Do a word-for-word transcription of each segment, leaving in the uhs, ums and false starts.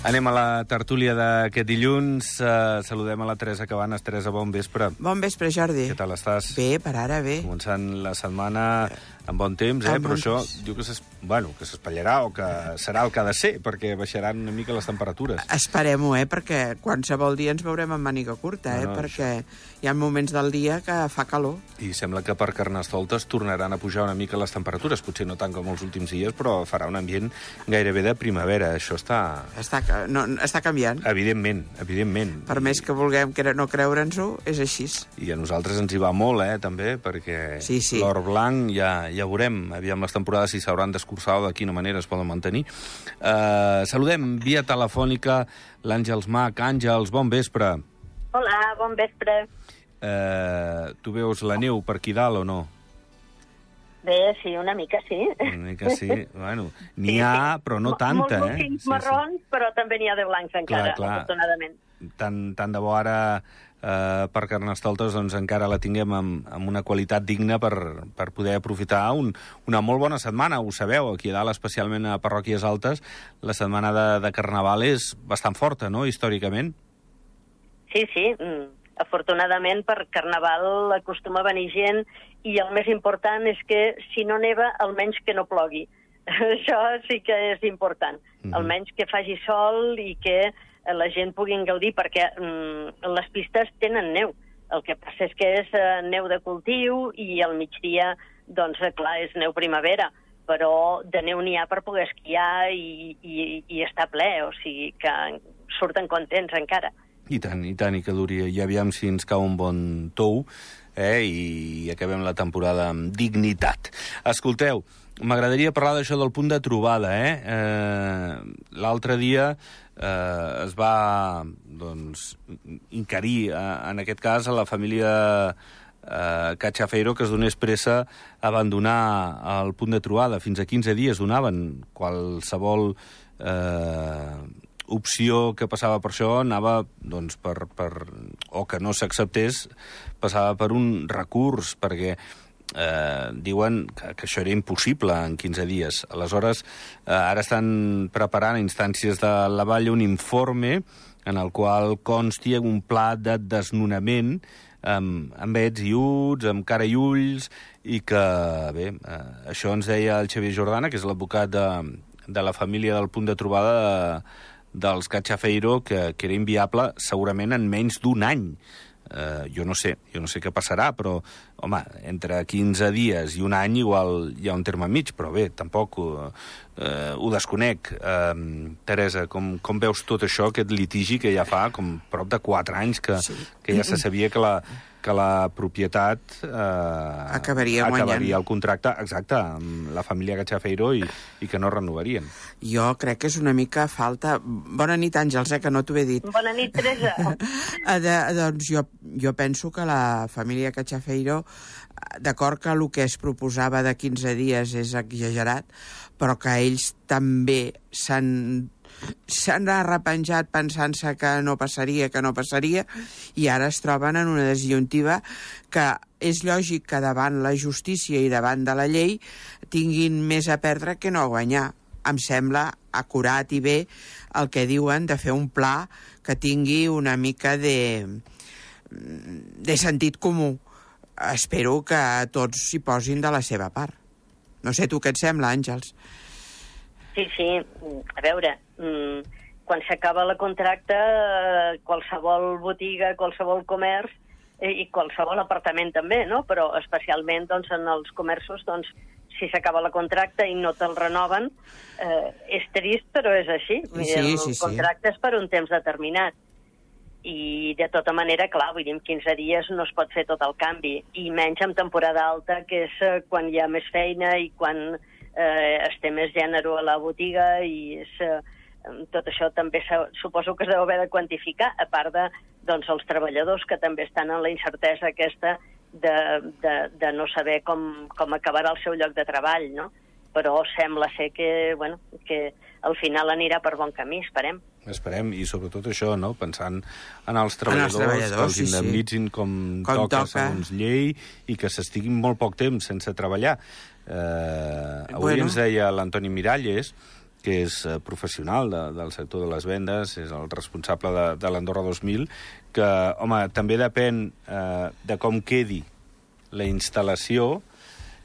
Anem a la tertúlia d'aquest dilluns. Uh, saludem a la Teresa Cabanes. Teresa, bon vespre. Bon vespre, Jordi. Què tal estàs? Bé, per ara bé. Començant la setmana amb bon temps, eh? Amb Però bon això temps. diu que s'es- bueno, que s'espatllarà o que serà el que ha de ser, perquè baixaran una mica les temperatures. Esperem-ho, eh, perquè qualsevol dia ens veurem amb màniga curta, eh, No, no, perquè hi ha moments del dia que fa calor. I sembla que per Carnestoltes tornaran a pujar una mica les temperatures, potser no tant com els últims dies, però farà un ambient gairebé de primavera. Això està... Està, ca- no, està canviant. Evidentment, evidentment. Per més que vulguem cre- no creure'ns-ho, és així. I a nosaltres ens hi va molt, eh, també, perquè Sí, sí. l'or blanc ja, ja veurem, aviam les temporades si s'hauran d'escurçar o de quina manera es poden mantenir. Uh, saludem via telefònica l'Àngels Mac. Àngels, bon vespre. Hola, bon vespre. Uh, tu veus la neu per aquí dalt o no? Bé, sí, una mica sí. Una mica sí. Bueno, n'hi Sí, ha, sí. però no Mo- tanta, Molts eh? motius marrons, però també n'hi ha de blancs encara, clar. afortunadament. Tant, tant de bo ara eh, per Carnestoltes doncs, encara la tinguem amb, amb una qualitat digna per, per poder aprofitar un, una molt bona setmana. Ho sabeu, aquí a dalt, especialment a parròquies altes, la setmana de, de Carnaval és bastant forta, no?, històricament. Sí, sí, mm. afortunadament per Carnaval acostuma a venir gent i el més important és que si no neva, almenys que no plogui. Això sí que és important. Mhm. Almenys que faci sol i que la gent pugui gaudir, perquè mm, les pistes tenen neu. El que passa és que és eh, neu de cultiu i al migdia, doncs, eh, clar, és neu primavera, però de neu n'hi ha per poder esquiar i, i, i estar ple, o sigui que surten contents encara. I tant, i tant, i que duri. I aviam si ens cau un bon tou, eh, i acabem la temporada amb dignitat. Escolteu, m'agradaria parlar d'això del punt de trobada, eh? eh L'altre dia eh, es va, doncs, inquerir, eh, en aquest cas, a la família eh, Cachafeiro, que es donés pressa a abandonar el punt de trobada. Fins a quinze dies donaven. Qualsevol eh, opció que passava per això anava, doncs, per, per, o que no s'acceptés, passava per un recurs, perquè eh, diuen que, que això era impossible en quinze dies. Aleshores, eh, ara estan preparant a instàncies de la Vall un informe en el qual consti un pla de desnonament amb, amb ets i uts, amb cara i ulls, i que, bé, eh, això ens deia el Xavier Jordana, que és l'advocat de, de la família del punt de trobada de, dels Cachafeiro, que, que era inviable segurament en menys d'un any. Uh, jo no sé, jo no sé què passarà, però, home, entre quinze dies i un any igual hi ha un terme mig, però bé, tampoc uh, uh, ho desconec. Uh, Teresa, com, com veus tot això, aquest litigi que ja fa com prop de quatre anys que, Sí. que ja se sabia que la, que la propietat eh, Acabaria guanyant. acabaria el contracte, exacte, amb la família Cachafeiro i, i que no renovarien. Jo crec que és una mica falta... Bona nit, Àngels, eh, que no t'ho he dit. Bona nit, Teresa. Eh, de, doncs jo, jo penso que la família Cachafeiro, d'acord que el que es proposava de quinze dies és exagerat, però que ells també s'han s'han arrepenjat pensant-se que no passaria, que no passaria, i ara es troben en una disjuntiva que és lògic que davant la justícia i davant de la llei tinguin més a perdre que no a guanyar. Em sembla acurat i bé el que diuen de fer un pla que tingui una mica de, de sentit comú. Espero que tots s'hi posin de la seva part. No sé tu què et sembla, Àngels. Sí, sí, a veure, mm, quan s'acaba el contracte, eh, qualsevol botiga, qualsevol comerç eh, i qualsevol apartament també, no? Però especialment doncs, en els comerços, doncs, si s'acaba el contracte i no te'l renoven, eh, és trist, però és així. Vull dir, Sí, el sí, sí. contracte és per un temps determinat. I de tota manera, clar, vull dir, en quinze dies no es pot fer tot el canvi, i menys en temporada alta, que és eh, quan hi ha més feina i quan eh, es té més gènere a la botiga, i és, eh, tot això també suposo que es deu haver de quantificar, a part de, doncs, els treballadors que també estan en la incertesa aquesta de, de, de no saber com, com acabarà el seu lloc de treball, no? Però sembla ser que, bueno, que al final anirà per bon camí, esperem. Esperem, i sobretot això, no?, pensant en els treballadors, treballadors, que els sí, sí. indemnitzin com, Com toca, toca. segons llei, i que s'estiguin molt poc temps sense treballar. Eh, avui Bueno. ens deia l'Antoni Miralles que és eh, professional de, del sector de les vendes, és el responsable de, de l'Andorra dos mil, que, home, també depèn eh, de com quedi la instal·lació,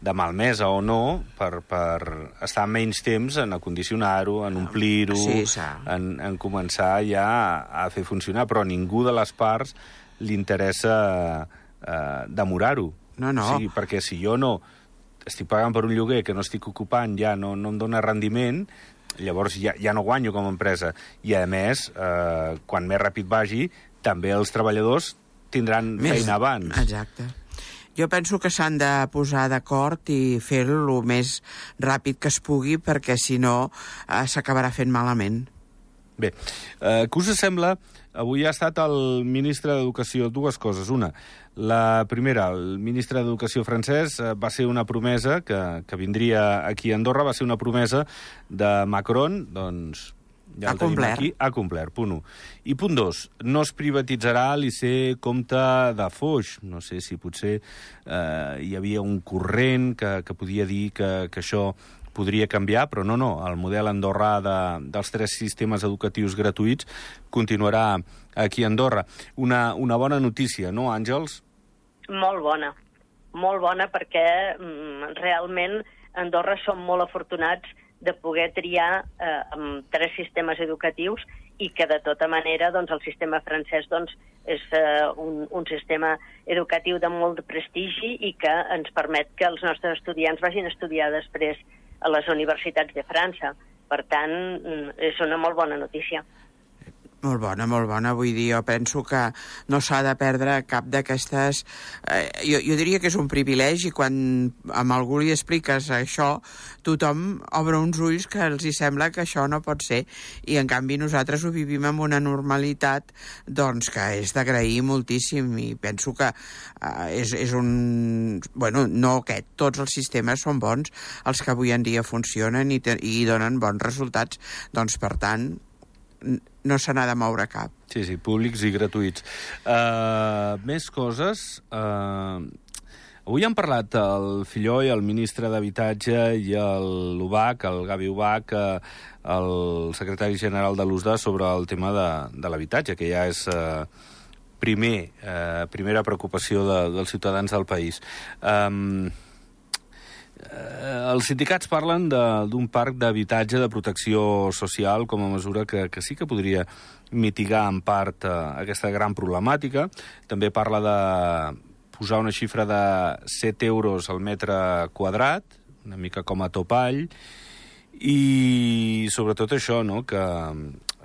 de malmesa o no, per, per estar menys temps en acondicionar-ho, en omplir-ho, sí, en, en començar ja a, a fer funcionar, però a ningú de les parts li interessa eh, demorar-ho. No, no. O sigui, perquè si jo no estic pagant per un lloguer que no estic ocupant, ja no, no em dóna rendiment, llavors ja, ja no guanyo com a empresa. I, a més, eh, quan més ràpid vagi, també els treballadors tindran més feina abans. Exacte. Jo penso que s'han de posar d'acord i fer-ho el més ràpid que es pugui, perquè si no eh, s'acabarà fent malament. Bé, eh, què us sembla? Avui ha estat el ministre d'Educació. Dues coses. Una, la primera, el ministre d'Educació francès eh, va ser una promesa que, que vindria aquí a Andorra, va ser una promesa de Macron, doncs ja ha complert. Aquí, ha complert, punt un. I punt dos, no es privatitzarà l'I C Comte de Foix. No sé si potser eh, hi havia un corrent que, que podia dir que, que això podria canviar, però no, no, el model andorrà de, dels tres sistemes educatius gratuïts continuarà aquí a Andorra. Una, una bona notícia, no, Àngels? Molt bona, molt bona, perquè mm, realment a Andorra som molt afortunats de poder triar eh, amb tres sistemes educatius i que, de tota manera, doncs, el sistema francès doncs, és eh, un, un sistema educatiu de molt de prestigi i que ens permet que els nostres estudiants vagin a estudiar després a les universitats de França. Per tant, és una molt bona notícia. Molt bona, molt bona. Vull dir, jo penso que no s'ha de perdre cap d'aquestes... Eh, jo, jo diria que és un privilegi quan amb algú li expliques això, tothom obre uns ulls que els hi sembla que això no pot ser. I, en canvi, nosaltres ho vivim amb una normalitat doncs, que és d'agrair moltíssim. I penso que eh, és, és un... Bueno, no aquest. Tots els sistemes són bons, els que avui en dia funcionen i, te, i donen bons resultats. Doncs, per tant, no se n'ha de moure cap. Sí, sí, públics i gratuïts. Uh, més coses. Uh, avui han parlat el Filló i el ministre d'Habitatge i l'Ubac, el Gavi Ubac, uh, el secretari general de l'U S D A, sobre el tema de, de l'habitatge, que ja és uh, primer, uh, primera preocupació de, dels ciutadans del país. Um, Els sindicats parlen d'un parc d'habitatge de protecció social com a mesura que, que sí que podria mitigar en part eh, aquesta gran problemàtica. També parla de posar una xifra de set euros al metre quadrat, una mica com a topall, i sobretot això, no?, que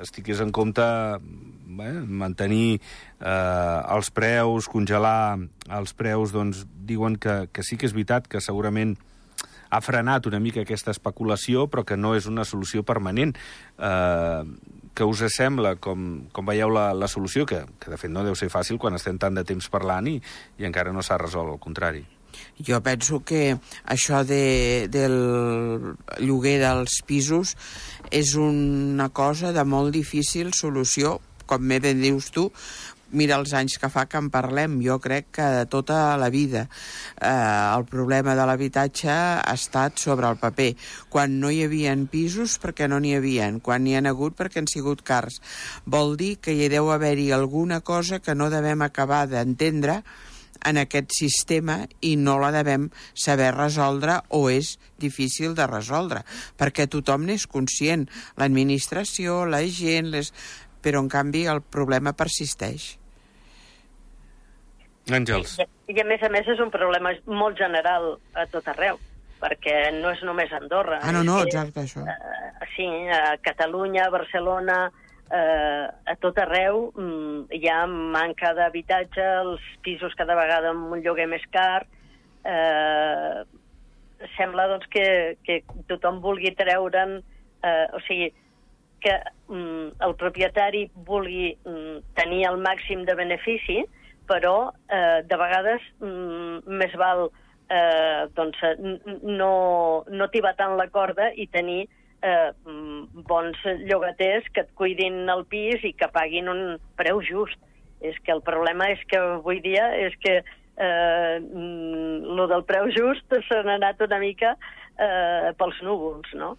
es tingués en compte bé, mantenir eh, els preus, congelar els preus. Doncs diuen que, que sí que és veritat que segurament ha frenat una mica aquesta especulació, però que no és una solució permanent. Eh, què us sembla? Com, com veieu la, la solució? Que, que, de fet, no deu ser fàcil quan estem tant de temps parlant i, i encara no s'ha resolt, al contrari. Jo penso que això de, del lloguer dels pisos és una cosa de molt difícil solució, com bé ben dius tu. Mira els anys que fa que en parlem, jo crec que de tota la vida. Eh, el problema de l'habitatge ha estat sobre el paper. Quan no hi havia pisos, perquè no n'hi havia. Quan n'hi ha hagut, perquè han sigut cars. Vol dir que hi deu haver-hi alguna cosa que no devem acabar d'entendre en aquest sistema i no la devem saber resoldre o és difícil de resoldre, perquè tothom n'és conscient, l'administració, la gent, les... però en canvi el problema persisteix. Àngels. I, I a més a més és un problema molt general a tot arreu, perquè no és només Andorra. Ah, no, no, exacte, això. Uh, sí, a Catalunya, a Barcelona, uh, a tot arreu um, hi ha manca d'habitatge, els pisos cada vegada amb un lloguer més car. Uh, sembla doncs, que, que tothom vulgui treure'n, uh, o sigui, que um, el propietari vulgui um, tenir el màxim de benefici, però eh, de vegades mm, més val eh, doncs, no, no tibar tant la corda i tenir eh, bons llogaters que et cuidin el pis i que paguin un preu just. És que el problema és que avui dia és que eh, lo del preu just se n'ha anat una mica eh, pels núvols, no?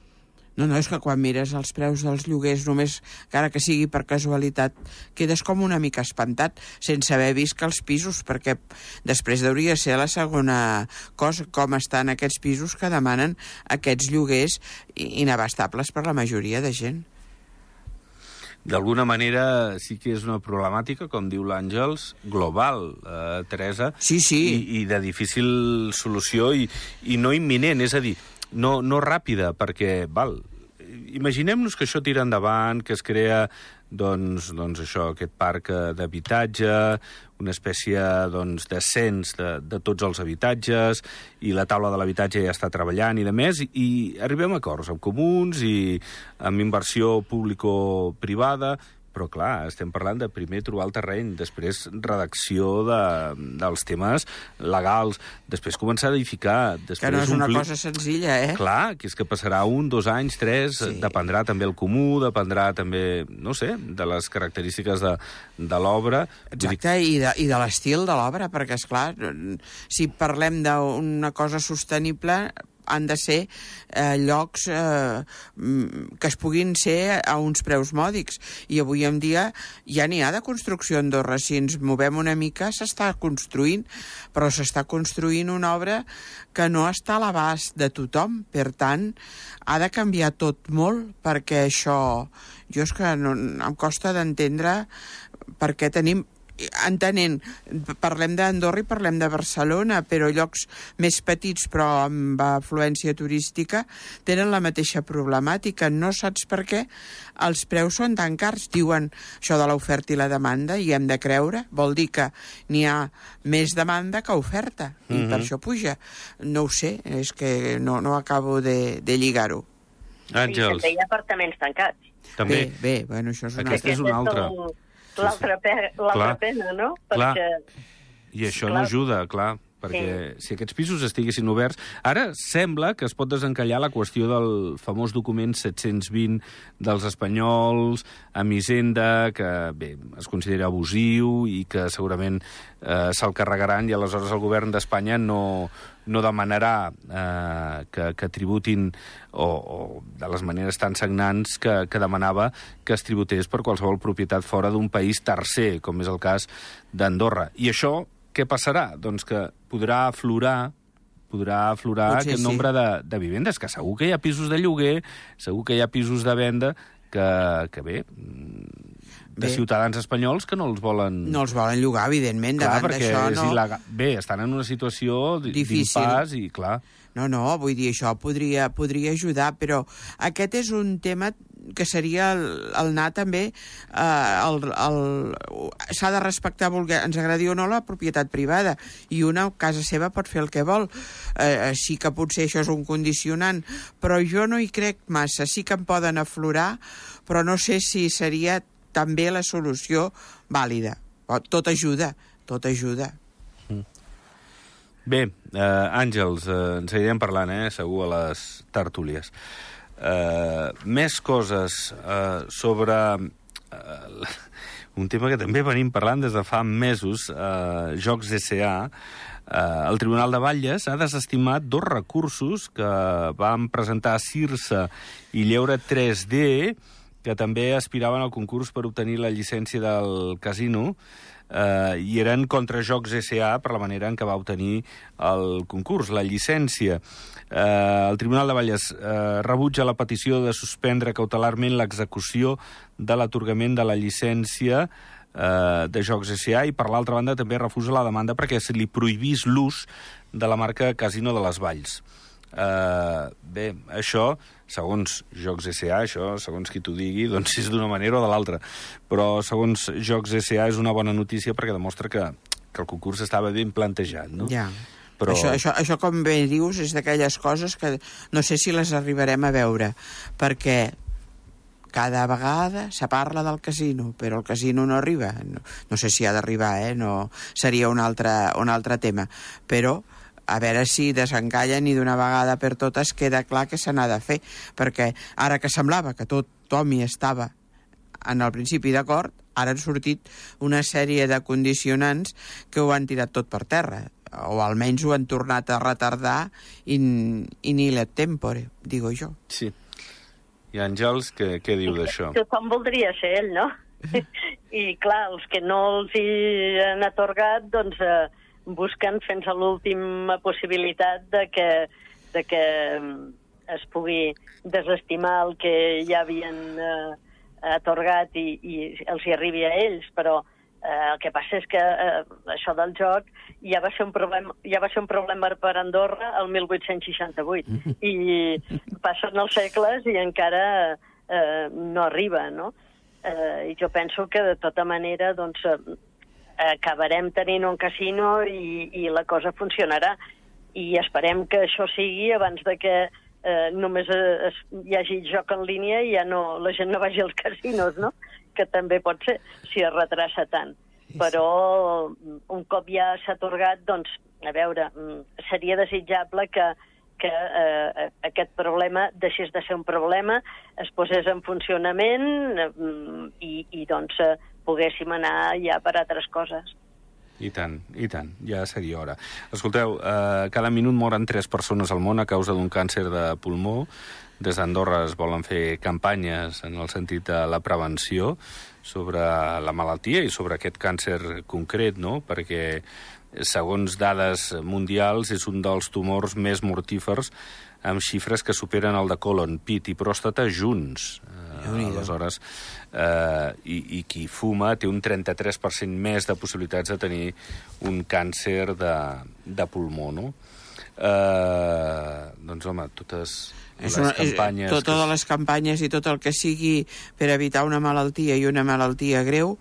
No, no, és que quan mires els preus dels lloguers, només, encara que sigui per casualitat, quedes com una mica espantat, sense haver vist que els pisos, perquè després hauria de ser la segona cosa, com estan aquests pisos que demanen aquests lloguers inabastables per la majoria de gent. D'alguna manera sí que és una problemàtica, com diu l'Àngels, global, eh, Teresa, sí, sí. I, i de difícil solució i, i no imminent, és a dir, no, no ràpida, perquè, val, imaginem-nos que això tira endavant, que es crea, doncs, doncs això, aquest parc d'habitatge, una espècie, doncs, de cens de, de tots els habitatges, i la taula de l'habitatge ja està treballant i de més, i, i arribem a acords amb comuns i amb inversió público-privada, però, clar, estem parlant de primer trobar el terreny, després redacció de, dels temes legals, després començar a edificar... Després que no és una omplir... cosa senzilla, eh? Clar, que és que passarà un, dos anys, tres, sí. Dependrà també el comú, dependrà també, no sé, de les característiques de, de l'obra. Exacte, i de, i de l'estil de l'obra, perquè, esclar, si parlem d'una cosa sostenible, han de ser eh, llocs eh, que es puguin ser a uns preus mòdics. I avui en dia ja n'hi ha de construcció a Andorra. Si ens movem una mica, s'està construint, però s'està construint una obra que no està a l'abast de tothom. Per tant, ha de canviar tot molt, perquè això... Jo és que no, em costa d'entendre per què tenim... entenent, parlem d'Andorra i parlem de Barcelona, però llocs més petits però amb afluència turística tenen la mateixa problemàtica. No saps per què els preus són tan cars. Diuen això de l'oferta i la demanda i hem de creure. Vol dir que n'hi ha més demanda que oferta i mm-hmm. per això puja. No ho sé, és que no, no acabo de, de lligar-ho. Àngels. I també hi ha apartaments tancats. També. Bé, bé, bueno, això és una Aquesta és una altra. L'altra pe pena, no? Clar. Perquè... I això clar. no ajuda, clar, perquè sí. Si aquests pisos estiguessin oberts... Ara sembla que es pot desencallar la qüestió del famós document set-cents vint dels espanyols, amb Hisenda, que, bé, es considera abusiu i que segurament eh, se'l carregaran i aleshores el govern d'Espanya no, no demanarà eh, que, que tributin o, o de les maneres tan sagnants que, que demanava que es tributés per qualsevol propietat fora d'un país tercer, com és el cas d'Andorra. I això què passarà? Doncs que podrà aflorar podrà aflorar Potser aquest sí. nombre de, de vivendes, que segur que hi ha pisos de lloguer, segur que hi ha pisos de venda que, que bé, de bé. Ciutadans espanyols que no els volen... No els volen llogar, evidentment, clar, davant d'això no... Il·legal. Bé, estan en una situació difícil d'impàs i, clar... No, no, vull dir, això podria, podria ajudar, però aquest és un tema que seria el, el anar també... Eh, el, el, s'ha de respectar, voler, ens agradi o no, la propietat privada, i una a casa seva pot fer el que vol. Eh, sí que potser això és un condicionant, però jo no hi crec massa. Sí que en poden aflorar, però no sé si seria també la solució vàlida. Tot ajuda, tot ajuda. Bé, eh, Àngels, eh, ens anirem parlant, eh, segur, a les tertúlies. Eh, més coses eh, sobre eh, un tema que també venim parlant des de fa mesos, eh, Jocs S A. Eh, el Tribunal de Batlles ha desestimat dos recursos que van presentar Cirsa i Lleure tres D, que també aspiraven al concurs per obtenir la llicència del casino, eh, i eren contra Jocs S A per la manera en què va obtenir el concurs, la llicència. Eh, el Tribunal de Batlles eh, rebutja la petició de suspendre cautelarment l'execució de l'atorgament de la llicència eh, de Jocs S A i, per l'altra banda, també refusa la demanda perquè se li prohibís l'ús de la marca Casino de les Valls. Eh, bé, això, segons Jocs S A, això, segons qui t'ho digui, doncs és d'una manera o de l'altra. Però, segons Jocs S A, és una bona notícia perquè demostra que, que el concurs estava ben plantejat, no? Ja. Però... Això, això, això, com bé dius, és d'aquelles coses que no sé si les arribarem a veure, perquè cada vegada se parla del casino, però el casino no arriba. No, no sé si ha d'arribar, eh? No, seria un altre, un altre tema. Però a veure si desencallen i d'una vegada per totes queda clar que se n'ha de fer, perquè ara que semblava que tothom hi estava en el principi d'acord, ara han sortit una sèrie de condicionants que ho han tirat tot per terra, o almenys ho han tornat a retardar in, in ile tempore, digo jo. Sí. I Àngels, què, què diu d'això? Tothom voldria ser ell, no? I clar, els que no els hi han atorgat, doncs eh, busquen fins a l'última possibilitat de que, de que es pugui desestimar el que ja havien eh, atorgat i, i els hi arribi a ells, però eh, el que passa és que eh, això del joc ja va ser un problema, ja va ser un problema per Andorra el mil vuit-cents seixanta-vuit i passen els segles i encara eh, no arriba, no? Eh, I jo penso que de tota manera doncs, eh, acabarem tenint un casino i, i la cosa funcionarà. I esperem que això sigui abans de que eh, només es, hi hagi joc en línia i ja no, la gent no vagi als casinos, no? Que també pot ser, si es retrassa tant. Però un cop ja s'ha atorgat, doncs, a veure, seria desitjable que que eh, aquest problema deixés de ser un problema, es posés en funcionament eh, i, i doncs eh, poguéssim anar ja per altres coses. I tant, i tant, ja seria hora. Escolteu, eh, cada minut moren tres persones al món a causa d'un càncer de pulmó. Des d'Andorra es volen fer campanyes en el sentit de la prevenció sobre la malaltia i sobre aquest càncer concret, no? Perquè segons dades mundials, és un dels tumors més mortífers amb xifres que superen el de colon, pit i pròstata junts. Eh, aleshores, eh, i, i qui fuma té un trenta-tres per cent més de possibilitats de tenir un càncer de, de pulmó, no? Eh, doncs, home, totes les una, campanyes... És, totes les campanyes i tot el que sigui per evitar una malaltia i una malaltia greu,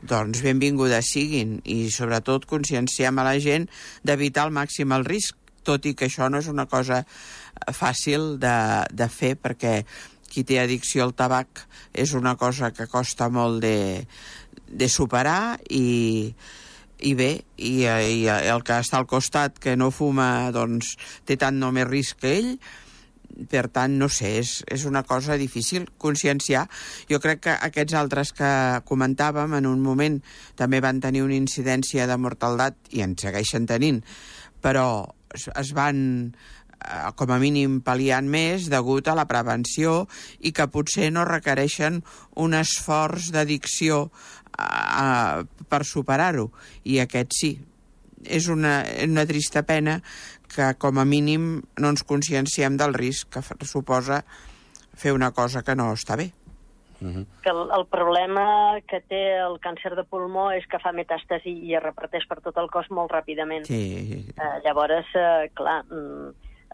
doncs benvingudes siguin. I sobretot conscienciem a la gent d'evitar al màxim el risc, tot i que això no és una cosa fàcil de, de fer, perquè qui té addicció al tabac és una cosa que costa molt de, de superar i... I bé, i, i el que està al costat, que no fuma, doncs té tant o més risc que ell. Per tant, no sé, és, és una cosa difícil conscienciar. Jo crec que aquests altres que comentàvem en un moment també van tenir una incidència de mortaldat i en segueixen tenint, però es, es van com a mínim pal·liant més degut a la prevenció i que potser no requereixen un esforç d'addicció a, per superar-ho, i aquest sí. És una, una trista pena que com a mínim no ens conscienciem del risc que suposa fer una cosa que no està bé. Uh-huh. Que el, el problema que té el càncer de pulmó és que fa metàstasi i es reparteix per tot el cos molt ràpidament. Sí. Eh, llavors, eh, clar,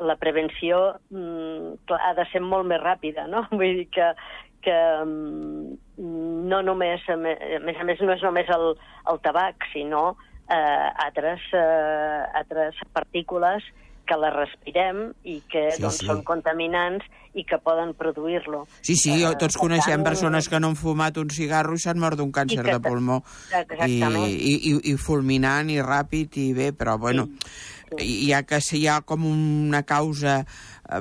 la prevenció clar, ha de ser molt més ràpida, no? Vull dir que que no només, a més a més, no és només el, el tabac, sinó eh, altres, eh, altres partícules que les respirem i que sí, doncs, sí. són contaminants i que poden produir-lo. Sí, sí, eh, tots coneixem tant... persones que no han fumat un cigarro i s'han mort d'un càncer que... de pulmó. Exactament. I, i, i fulminant i ràpid i bé, però bueno, sí. ja que si hi ha com una causa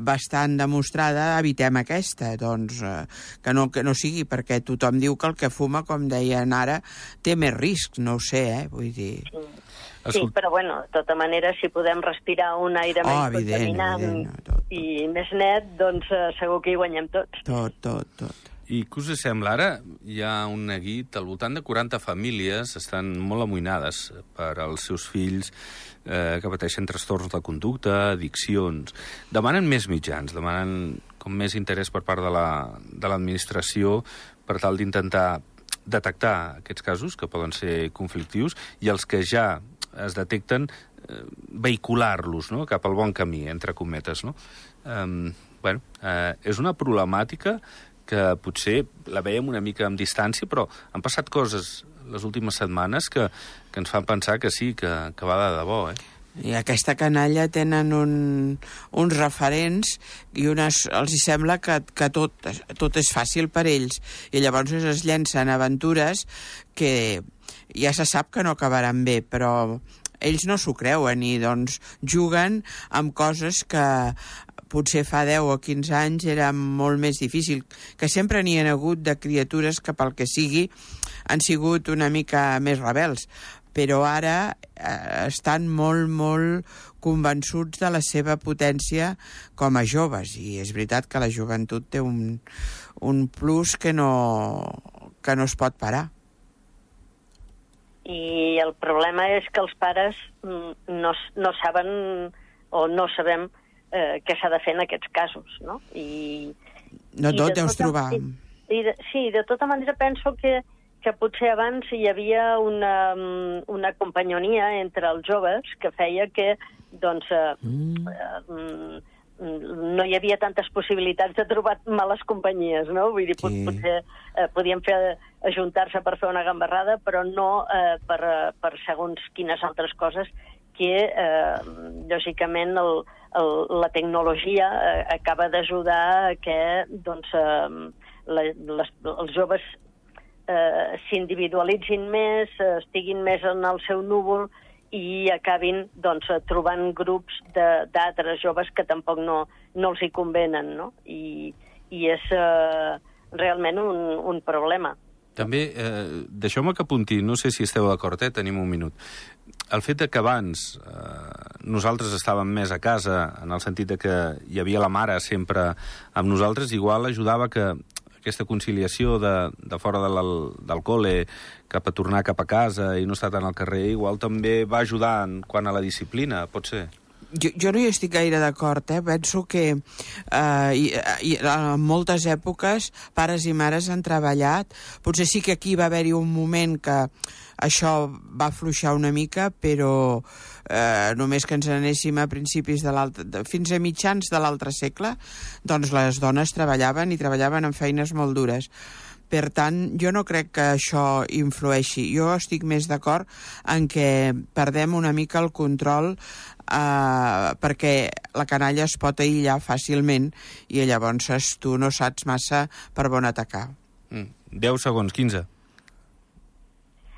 bastant demostrada, evitem aquesta, doncs eh, que, no, que no sigui, perquè tothom diu que el que fuma, com deien ara, té més risc, no ho sé, eh, vull dir... Sí. Sí, però bueno, de tota manera, si podem respirar un aire oh, menys evident, contaminant evident, no, tot, tot. i més net, doncs uh, segur que hi guanyem tots. Tot, tot, tot. I què us sembla? Ara hi ha un neguit, al voltant de quaranta famílies estan molt amoïnades per als seus fills eh, que pateixen trastorns de conducta, addiccions. Demanen més mitjans, demanen com més interès per part de la, de l'administració per tal d'intentar detectar aquests casos que poden ser conflictius i els que ja es detecten, eh, vehicular-los, no?, cap al bon camí, entre cometes, no? Eh, bueno, eh, és una problemàtica que potser la veiem una mica amb distància, però han passat coses les últimes setmanes que, que ens fan pensar que sí, que, que va de debò, eh? I aquesta canalla tenen un, uns referents i unes, els hi sembla que, que tot, tot és fàcil per ells. I llavors es llencen aventures que ja se sap que no acabaran bé, però ells no s'ho creuen i doncs juguen amb coses que potser fa deu o quinze anys era molt més difícil, que sempre n'hi ha hagut de criatures que pel que sigui han sigut una mica més rebels, però ara eh, estan molt, molt convençuts de la seva potència com a joves, i és veritat que la joventut té un, un plus que no, que no es pot parar. I el problema és que els pares no, no saben o no sabem eh, què s'ha de fer en aquests casos, no? I, no i tot de deus tota, trobar. I, i de, sí, de tota manera penso que que potser abans hi havia una, una companyonia entre els joves que feia que doncs, eh, mm. eh, no hi havia tantes possibilitats de trobar males companyies, no? Vull dir, sí. potser eh, podíem fer ajuntar-se per fer una gambarrada, però no eh, per, per segons quines altres coses que, eh, lògicament, el, el, la tecnologia eh, acaba d'ajudar que doncs, eh, la, les, els joves Eh, s'individualitzin més, eh, estiguin més en el seu núvol i acabin doncs, trobant grups d'altres joves que tampoc no, no els hi convenen, no? I, i és eh, realment un, un problema. També, eh, deixeu-me que apunti, no sé si esteu d'acord, eh? Tenim un minut. El fet de que abans eh, nosaltres estàvem més a casa, en el sentit de que hi havia la mare sempre amb nosaltres, igual ajudava que aquesta conciliació de, de fora de del col·le cap a tornar cap a casa i no estar tant al carrer, igual també va ajudar en quant a la disciplina, pot ser? Jo, jo no hi estic gaire d'acord, eh? Penso que eh, i, i, en moltes èpoques pares i mares han treballat. Potser sí que aquí va haver-hi un moment que això va afluixar una mica, però eh, només que ens anéssim a principis de l'altre, fins a mitjans de l'altre segle, doncs les dones treballaven i treballaven en feines molt dures. Per tant, jo no crec que això influeixi. Jo estic més d'acord en què perdem una mica el control eh, perquè la canalla es pot aïllar fàcilment i llavors tu no saps massa per on atacar. Mm. deu segons, quinze.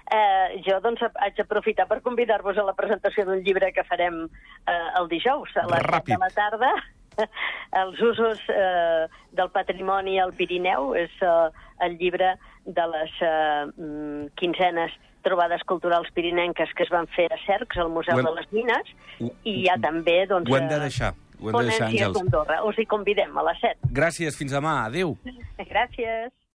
Eh, jo doncs haig d'aprofitar per convidar-vos a la presentació d'un llibre que farem eh, el dijous a les set de la tarda. Els usos eh, del patrimoni al Pirineu és eh, el llibre de les eh, quinzenes trobades culturals pirinenques que es van fer a Cercs, al Museu hem... de les Mines, i hi ha també doncs, ho hem de deixar, ho hem de deixar, Àngels. Us hi convidem a les set. Gràcies, fins demà, adéu. Gràcies.